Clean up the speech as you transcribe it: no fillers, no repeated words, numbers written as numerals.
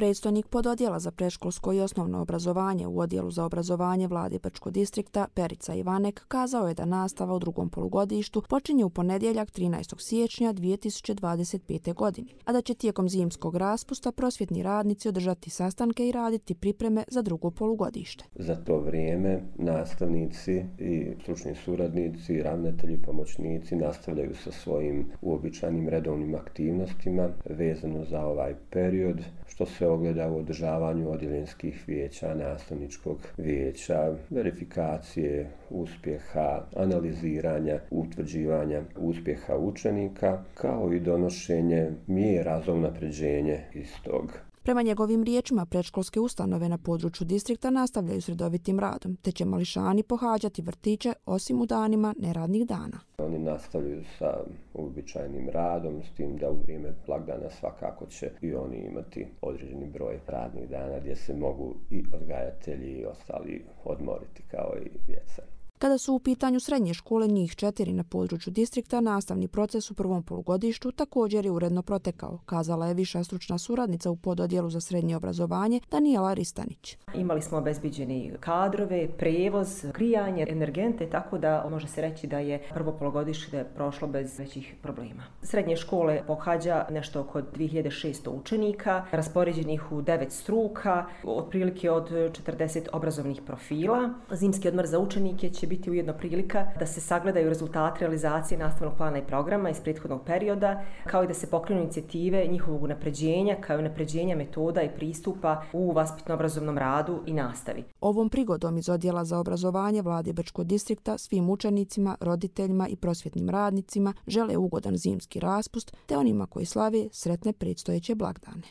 Predstojnik pododjela za predškolsko i osnovno obrazovanje u Odjelu za obrazovanje Vlade Brčkog distrikta Perica Ivanek kazao je da nastava u drugom polugodištu počinje u ponedjeljak 13. siječnja 2025. godine, a da će tijekom zimskog raspusta prosvjetni radnici održati sastanke i raditi pripreme za drugo polugodište. Za to vrijeme nastavnici i stručni suradnici, ravnatelji, pomoćnici nastavljaju sa svojim uobičajenim redovnim aktivnostima vezano za ovaj period, što se ogleda u održavanju odjeljenskih vijeća, nastavničkog vijeća, verifikacije uspjeha, analiziranja, utvrđivanja uspjeha učenika, kao i donošenje mjera za unapređenje istog. Prema njegovim riječima, predškolske ustanove na području distrikta nastavljaju s redovitim radom, te će mališani pohađati vrtiće osim u danima neradnih dana. Oni nastavljaju sa uobičajenim radom, s tim da u vrijeme blagdana svakako će i oni imati određeni broj radnih dana gdje se mogu i odgajatelji i ostali odmoriti kao i djeca. Kada su u pitanju srednje škole, njih 4 na području distrikta, nastavni proces u prvom polugodištu također je uredno protekao, kazala je viša stručna suradnica u pododjelu za srednje obrazovanje Danijela Ristanić. Imali smo obezbiđeni kadrove, prijevoz, grijanje, energente, tako da može se reći da je prvo polugodište prošlo bez većih problema. Srednje škole pohađa nešto oko 2600 učenika, raspoređenih u 9 struka, otprilike od 40 obrazovnih profila. Zimski odmor za učenike će biti ujedno prilika da se sagledaju rezultati realizacije nastavnog plana i programa iz prethodnog perioda, kao i da se pokrenu inicijative njihovog unapređenja, kao i unapređenja metoda i pristupa u vaspitno-obrazovnom radu i nastavi. Ovom prigodom iz Odjela za obrazovanje Vlade Brčkog distrikta svim učenicima, roditeljima i prosvjetnim radnicima žele ugodan zimski raspust, te onima koji slave sretne predstojeće blagdane.